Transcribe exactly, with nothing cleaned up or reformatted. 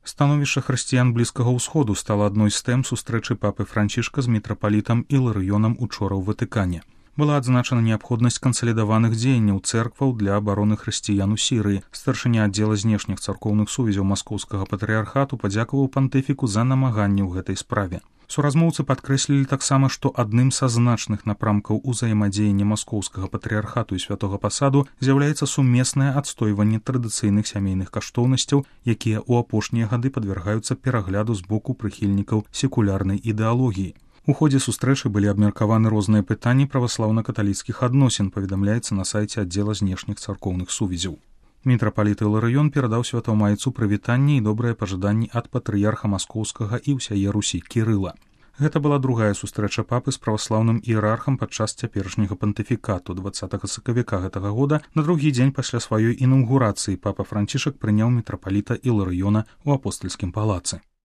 Становішча хрысціян Блізкага ўсходу стала адной з тэм сустрэчы папы Францішка з мітрапалітам Іларыёнам учора ў Ватыкане. Была адзначана неабходнасць кансалідаваных дзеянняў цэркваў для абароны хрысціян у Сірыі. Старшыня аддзела знешніх царкоўных сувязяў маскоўскага патрыярхату падзякаваў пантыфіку за намаганні ў гэтай справе. Суразмоўцы падкрэслілі таксама, што адным са значных напрамкаў узаемадзеяння маскоўскага патрыярхату і святога пасаду з'яўляецца сумеснае адстойванне традыцыйных сямейных каштоўнасцяў, якія ў апошнія гады падвяргаюцца перагляду з боку прыхільнікаў секулярнай ідэалогіі. У ходзе сустрэчы былі абмеркаваны розныя пытанні праваслаўна-каталіцкіх адносін, паведамляецца на сайце аддзела знешніх царкоўных сувязяў. Мітрапаліт Іларыён перадаў святамайцу прывітанне і добрыя пажаданні ад патрыярха маскоўскага і ўсяе Русі Кірыла. Гэта была другая сустрэча папы з праваслаўным іерархам падчас цяперашняга пантыфікату. дваццатага сакавіка гэтага года на другі дзень пасля сваёй інаўгурацыі папа Францішак прыняў мітрапаліта Іларыёна ў апостальскім палацы.